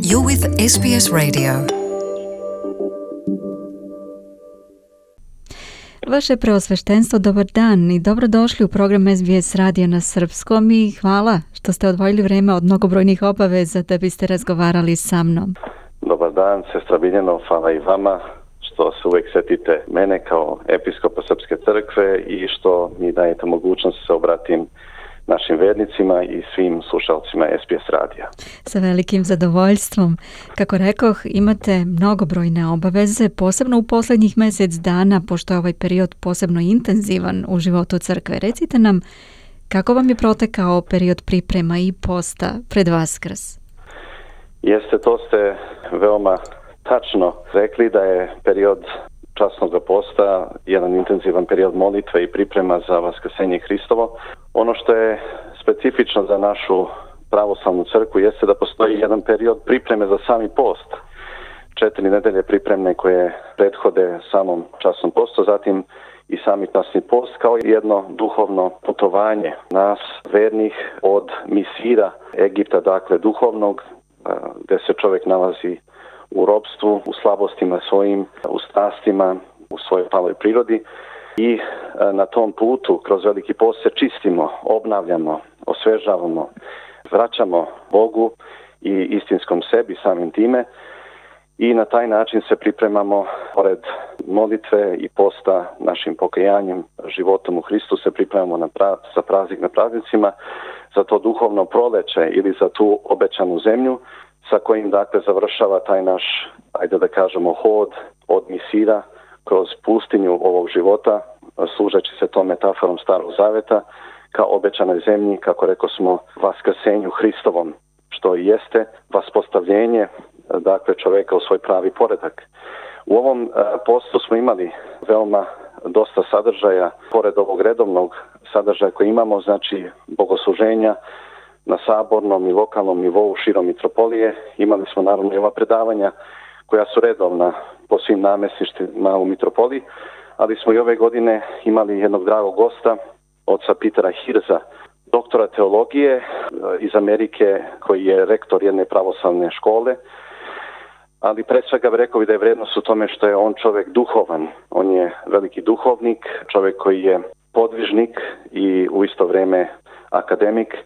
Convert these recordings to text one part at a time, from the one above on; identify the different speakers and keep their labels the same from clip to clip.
Speaker 1: You're with SBS Radio.
Speaker 2: Vaše preosveštenstvo, dobar dan i dobrodošli u program SBS Radio na srpskom i hvala što ste odvojili vreme od mnogobrojnih obaveza da biste razgovarali sa mnom.
Speaker 3: Dobar dan, sestra Biljano, hvala i vama što se uvijek setite mene kao episkopa Srpske crkve i što mi dajete mogućnost da se obratim našim vernicima i svim slušalcima SBS radija.
Speaker 2: Sa velikim zadovoljstvom. Kako rekoh, imate mnogobrojne obaveze, posebno u posljednjih mjesec dana, pošto je ovaj period posebno intenzivan u životu crkve. Recite nam, kako vam je protekao period priprema i posta pred Vaskrs?
Speaker 3: Jeste, to ste veoma tačno rekli da je period časnog posta jedan intenzivan period molitve i priprema za Vaskrsenje Hristovo. Ono što je specifično za našu pravoslavnu crkvu jeste da postoji jedan period pripreme za sami post. 4 nedelje pripremne koje prethode samom časnom postu, zatim i sami časni post kao jedno duhovno putovanje nas vernih od misira Egipta, dakle duhovnog, gdje se čovjek nalazi u ropstvu, u slabostima svojim, u strastima, u svojoj paloj prirodi i na tom putu kroz veliki post se čistimo, obnavljamo, osvežavamo, vraćamo Bogu i istinskom sebi samim time i na taj način se pripremamo pored molitve i posta našim pokajanjem, životom u Hristu se pripremamo za praznik na praznicima, za to duhovno proleće ili za tu obećanu zemlju sa kojim dakle završava taj naš, ajde da kažemo, hod od misira kroz pustinju ovog života, služeći se tom metaforom Starog Zaveta, kao obećanoj zemlji, kako rekao smo, Vaskrsenju Hristovom, što i jeste vaspostavljenje, dakle, čovjeka u svoj pravi poredak. U ovom postu smo imali veoma dosta sadržaja, pored ovog redovnog sadržaja koji imamo, znači bogosluženja na sabornom i lokalnom nivou širom mitropolije. Imali smo naravno i ova predavanja koja su redovna po svim namjesništvima u mitropoliji, ali smo i ove godine imali jednog dragog gosta, oca Petera Hirza, doktora teologije iz Amerike, koji je rektor jedne pravoslavne škole, ali pre svega rekao bi da je vrednost u tome što je on čovjek duhovan. On je veliki duhovnik, čovjek koji je podvižnik i u isto vrijeme akademik,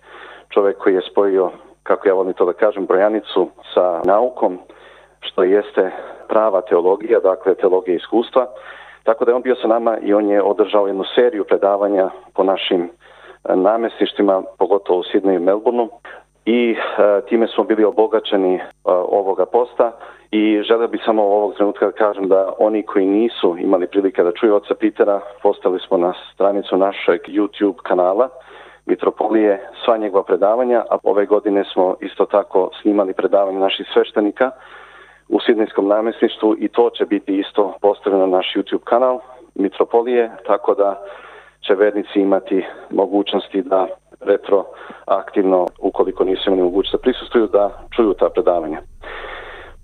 Speaker 3: čovjek koji je spojio, kako ja volim to da kažem, brojanicu sa naukom, što jeste prava teologija, dakle teologija iskustva. Tako da je on bio sa nama i on je održao jednu seriju predavanja po našim namjesništvima, pogotovo u Sidneju i Melbourneu. I time smo bili obogaćeni ovoga posta i želio bih samo ovog trenutka da kažem da oni koji nisu imali prilike da čuju oca Petera, postavili smo na stranicu našeg YouTube kanala Mitropolije sva njegova predavanja, a ove godine smo isto tako snimali predavanje naših sveštenika u Sidnejskom namjesništvu i to će biti isto postavljeno na naš YouTube kanal Mitropolije, tako da će vernici imati mogućnosti da retroaktivno, ukoliko nisu imali mogućnost da prisustvuju, da čuju ta predavanja.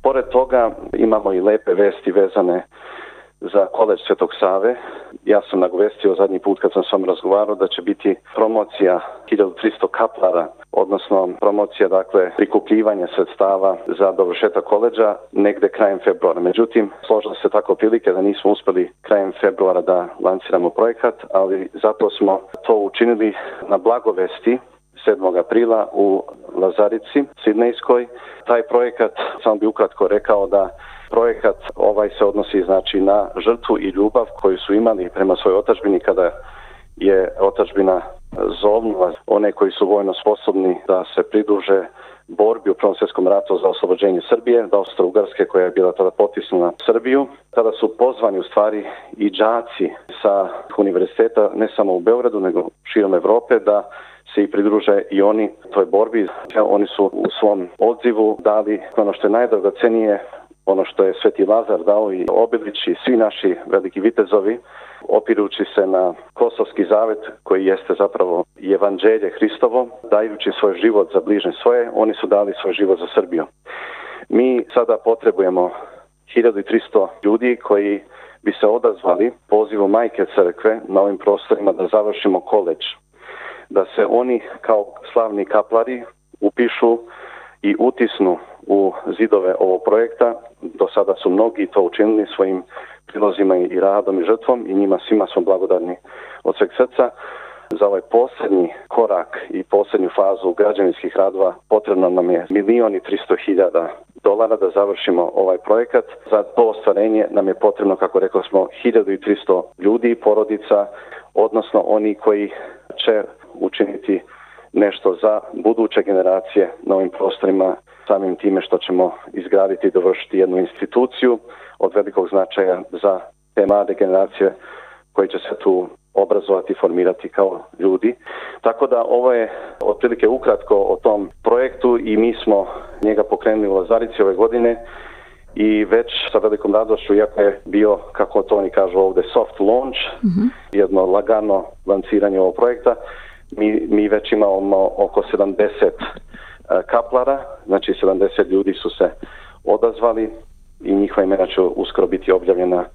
Speaker 3: Pored toga imamo i lepe vesti vezane za koledž Svetog Save. Ja sam nagovestio zadnji put kad sam s vama razgovarao da će biti promocija 1300 kaplara, odnosno promocija, dakle, prikupljivanja sredstava za dovršetak koledža negde krajem februara. Međutim, složilo se tako prilike da nismo uspeli krajem februara da lanciramo projekat, ali zato smo to učinili na blagovesti 7. aprila u Lazarici, Sidnejskoj. Taj projekat, samo bi ukratko rekao da projekat ovaj se odnosi znači na žrtvu i ljubav koju su imali prema svojoj otadžbini kada je otadžbina zovnula one koji su vojno sposobni da se pridruže borbi u Prvom svjetskom ratu za oslobođenje Srbije, da Austro-Ugarske koja je bila tada potisnula Srbiju. Tada su pozvani u stvari i đaci sa univerziteta, ne samo u Beogradu nego širom Evrope, da se i pridruže i oni toj borbi. Oni su u svom odzivu dali ono što je najdragocenije, ono što je Sveti Lazar dao i Obilić i svi naši veliki vitezovi, opirući se na Kosovski zavet koji jeste zapravo i evanđelje Hristovo, dajući svoj život za bližnje svoje, oni su dali svoj život za Srbiju. Mi sada potrebujemo 1300 ljudi koji bi se odazvali pozivu Majke Crkve na ovim prostorima da završimo koledž. Da se oni kao slavni kaplari upišu i utisnu u zidove ovog projekta. Do sada su mnogi to učinili svojim prilozima i radom i žrtvom i njima svima smo blagodarni od sveg srca. Za ovaj posljednji korak i posljednju fazu građevinskih radova potrebno nam je $1.300.000 da završimo ovaj projekat. Za to ostvarenje nam je potrebno, kako rekli smo, 1300 ljudi, porodica, odnosno oni koji će učiniti nešto za buduće generacije na ovim prostorima, samim time što ćemo izgraditi i dovršiti jednu instituciju od velikog značaja za te mlade generacije koji će se tu obrazovati i formirati kao ljudi. Tako da ovo je otprilike ukratko o tom projektu i mi smo njega pokrenuli u Lazarici ove godine i već sa velikom radošću, iako je bio, kako to oni kažu ovdje, soft launch, jedno lagano lanciranje ovog projekta, mi već imamo oko 70 kaplara, znači 70 ljudi su se odazvali i njihova imena će uskoro biti objavljena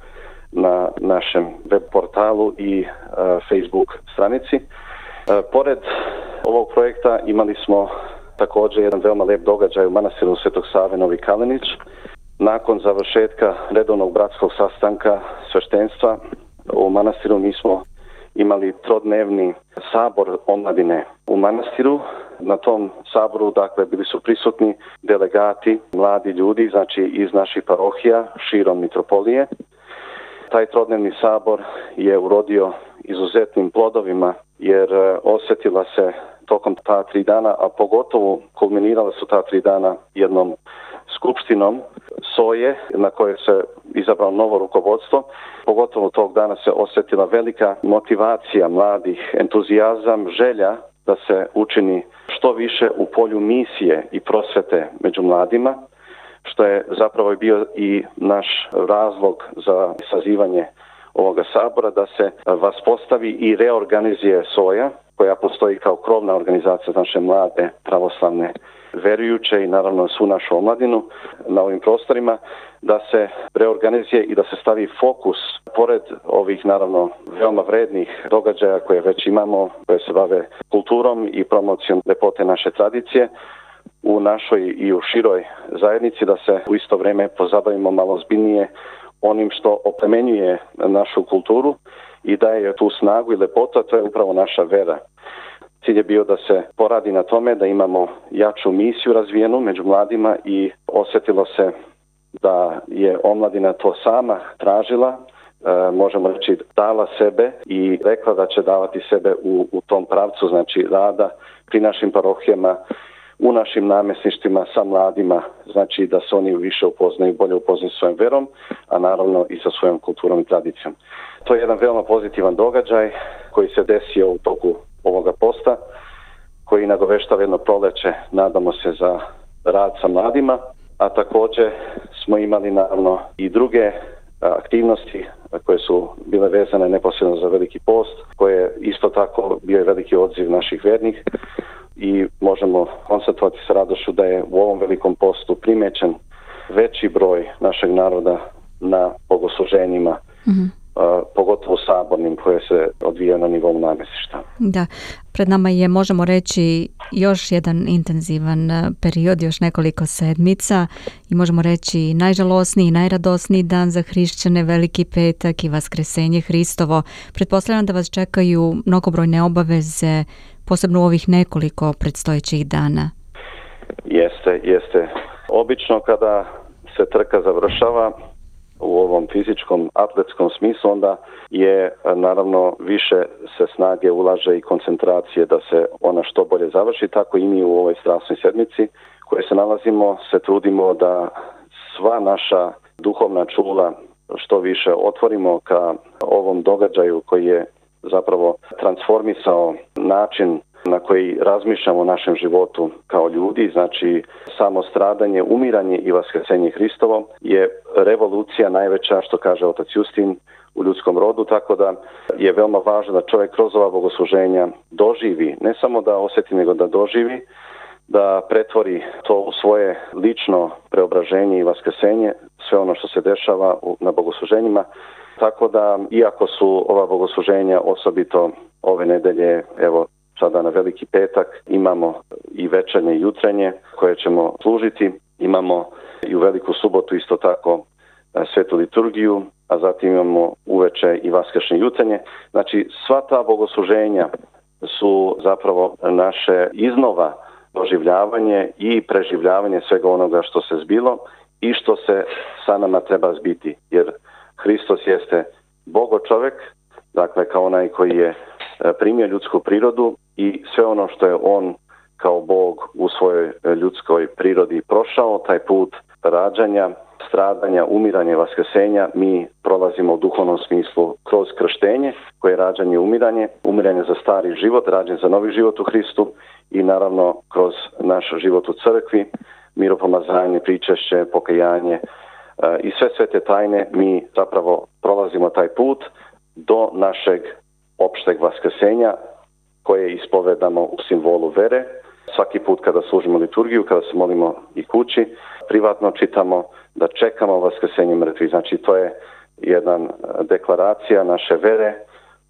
Speaker 3: na našem web portalu i Facebook stranici. Pored ovog projekta imali smo također jedan veoma lep događaj u manastiru Svetog Save Novi Kalenić. Nakon završetka redovnog bratskog sastanka sveštenstva u manastiru mi smo imali trodnevni sabor omladine u manastiru. Na tom saboru, dakle, bili su prisutni delegati, mladi ljudi, znači iz naših parohija širom mitropolije. Taj trodnevni sabor je urodio izuzetnim plodovima jer osjetila se tokom ta 3 dana, a pogotovo kulminirala su ta 3 dana jednom skupštinom SOJE na kojoj se izabralo novo rukovodstvo. Pogotovo tog dana se osjetila velika motivacija mladih, entuzijazam, želja da se učini što više u polju misije i prosvete među mladima, što je zapravo bio i naš razlog za sazivanje ovoga sabora, da se vaspostavi i reorganizuje SOJA, koja postoji kao krovna organizacija za naše mlade pravoslavne verujuće i naravno svu našu omladinu na ovim prostorima, da se reorganizuje i da se stavi fokus, pored ovih naravno veoma vrednih događaja koje već imamo, koje se bave kulturom i promocijom lepote naše tradicije, u našoj i u široj zajednici, da se u isto vrijeme pozabavimo malo ozbiljnije onim što oplemenjuje našu kulturu i daje tu snagu i lepotu, a to je upravo naša vera. Cilj je bio da se poradi na tome da imamo jaču misiju razvijenu među mladima i osjetilo se da je omladina to sama tražila, možemo reći dala sebe i rekla da će davati sebe u tom pravcu, znači rada pri našim parohijama, u našim namjesništvima sa mladima, znači da se oni više upoznaju, bolje upoznaju svojom verom, a naravno i sa svojom kulturom i tradicijom. To je jedan veoma pozitivan događaj koji se desio u toku ovoga posta, koji nagoveštava jedno proleće, nadamo se, za rad sa mladima, a također smo imali naravno i druge aktivnosti koje su bile vezane neposredno za Veliki post, koje isto tako bio je veliki odziv naših vernih i možemo konstatovati sa radošću da je u ovom Velikom postu primećen veći broj našeg naroda na bogosluženjima, pogotovo sabornim koje se odvijaju na nivou namjesništva.
Speaker 2: Da, pred nama je, možemo reći, još jedan intenzivan period, još nekoliko sedmica i možemo reći najžalosniji i najradosniji dan za hrišćane, Veliki petak i Vaskresenje Hristovo. Pretpostavljam da vas čekaju mnogobrojne obaveze, posebno u ovih nekoliko predstojećih dana.
Speaker 3: Jeste. Obično kada se trka završava u ovom fizičkom, atletskom smislu, onda je naravno više se snage ulaže i koncentracije da se ona što bolje završi, tako i mi u ovoj strasnoj sedmici koje se nalazimo se trudimo da sva naša duhovna čula što više otvorimo ka ovom događaju koji je zapravo transformisao način na koji razmišljamo o našem životu kao ljudi, znači samo stradanje, umiranje i vaskresenje Hristovo je revolucija najveća, što kaže otac Justin, u ljudskom rodu, tako da je veoma važno da čovjek kroz ova bogosluženja doživi, ne samo da osjeti, nego da doživi, da pretvori to u svoje lično preobraženje i vaskresenje, sve ono što se dešava na bogosluženjima. Tako da, iako su ova bogosluženja osobito ove nedelje, evo sada na Veliki petak, imamo i večernje i jutrenje koje ćemo služiti. Imamo i u Veliku subotu isto tako svetu liturgiju, a zatim imamo uveče i vaskršnje jutenje. Znači, sva ta bogosluženja su zapravo naše iznova doživljavanje i preživljavanje svega onoga što se zbilo i što se sa nama treba zbiti. Jer Hristos jeste Bogo čovjek, dakle kao onaj koji je primio ljudsku prirodu i sve ono što je on kao Bog u svojoj ljudskoj prirodi prošao, taj put rađanja, stradanja, umiranja i vaskrsenja, mi prolazimo u duhovnom smislu kroz krštenje, koje je rađanje i umiranje za stari život, rađanje za novi život u Hristu i naravno kroz naš život u crkvi, miropomazanje, pričešće, pokajanje i sve te tajne mi zapravo prolazimo taj put do našeg opšteg vaskrsenja koje ispovedamo u simbolu vere. Svaki put kada služimo liturgiju, kada se molimo i kući, privatno čitamo da čekamo vaskrsenje mrtvih. Znači to je jedna deklaracija naše vere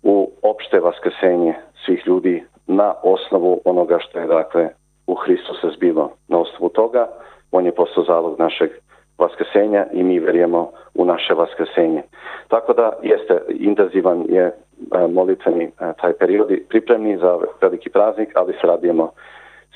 Speaker 3: u opšte vaskrsenje svih ljudi na osnovu onoga što je dakle u Hristu se zbilo. Na osnovu toga on je postao zalog našeg vaskrsenja i mi vjerujemo u naše vaskrsenje. Tako da jeste intenzivan je molitveni taj period pripremni za veliki praznik, ali se radimo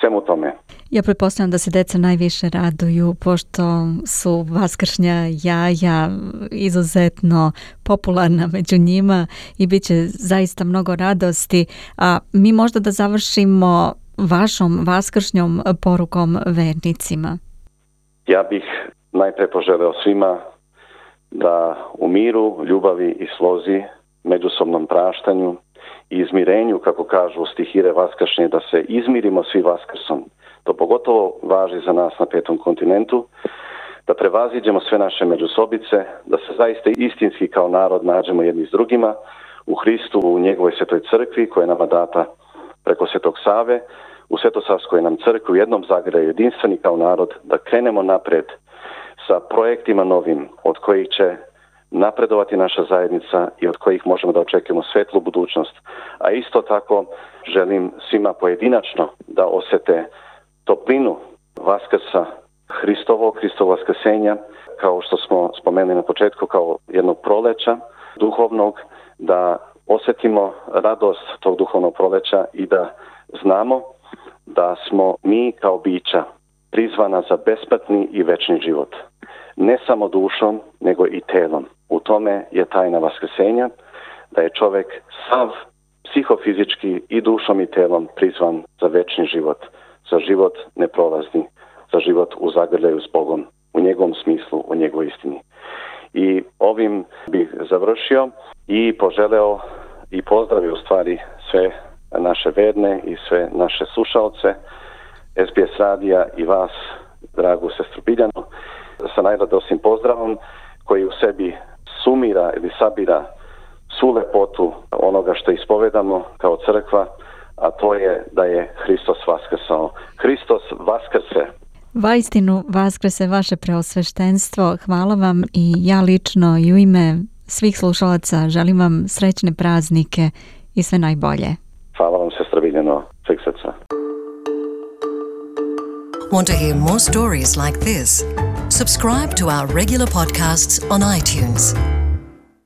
Speaker 3: svemu tome.
Speaker 2: Ja pretpostavljam da se deca najviše raduju pošto su vaskršnja jaja izuzetno popularna među njima i bit će zaista mnogo radosti. A mi možda da završimo vašom vaskršnjom porukom vernicima.
Speaker 3: Ja bih najpre poželeo svima da u miru, ljubavi i slozi, međusobnom praštanju i izmirenju, kako kažu stihire vaskršnje, da se izmirimo svi vaskrsom. To pogotovo važi za nas na 5. kontinentu, da prevaziđemo sve naše međusobice, da se zaista istinski kao narod nađemo jedni s drugima u Hristu, u njegovoj svetoj crkvi koja je nama data preko Svetog Save, u Svetosavskoj nam crkvi u jednom zagrljaju jedinstveni kao narod, da krenemo napred sa projektima novim od kojih će napredovati naša zajednica i od kojih možemo da očekujemo svetlu budućnost. A isto tako želim svima pojedinačno da osete toplinu Vaskrsa Hristovo vaskrsenja, kao što smo spomenuli na početku, kao jednog proleća duhovnog, da osjetimo radost tog duhovnog proleća i da znamo da smo mi kao bića prizvana za besplatni i večni život. Ne samo dušom, nego i telom. U tome je tajna vaskrsenja, da je čovjek sav psihofizički i dušom i telom prizvan za večni život, za život neprolazni, za život u zagrljaju s Bogom, u njegovom smislu, u njegovoj istini. I ovim bih završio i poželeo i pozdravio u stvari sve naše verne i sve naše slušalce SBS radija i vas, dragu sestru Biljanu, sa najradosnim pozdravom koji u sebi sumira ili sabira svu lepotu onoga što ispovedamo kao crkva, a to je da je Hristos vaskrsao. Hristos vaskrse.
Speaker 2: Vaistinu vaskrse vaše preosveštenstvo. Hvala vam i ja lično i u ime svih slušalaca želim vam srećne praznike i sve najbolje.
Speaker 3: Hvala vam, sestra Biljano, sveg srca.
Speaker 1: Want to hear more stories like this? Subscribe to our regular podcasts on iTunes.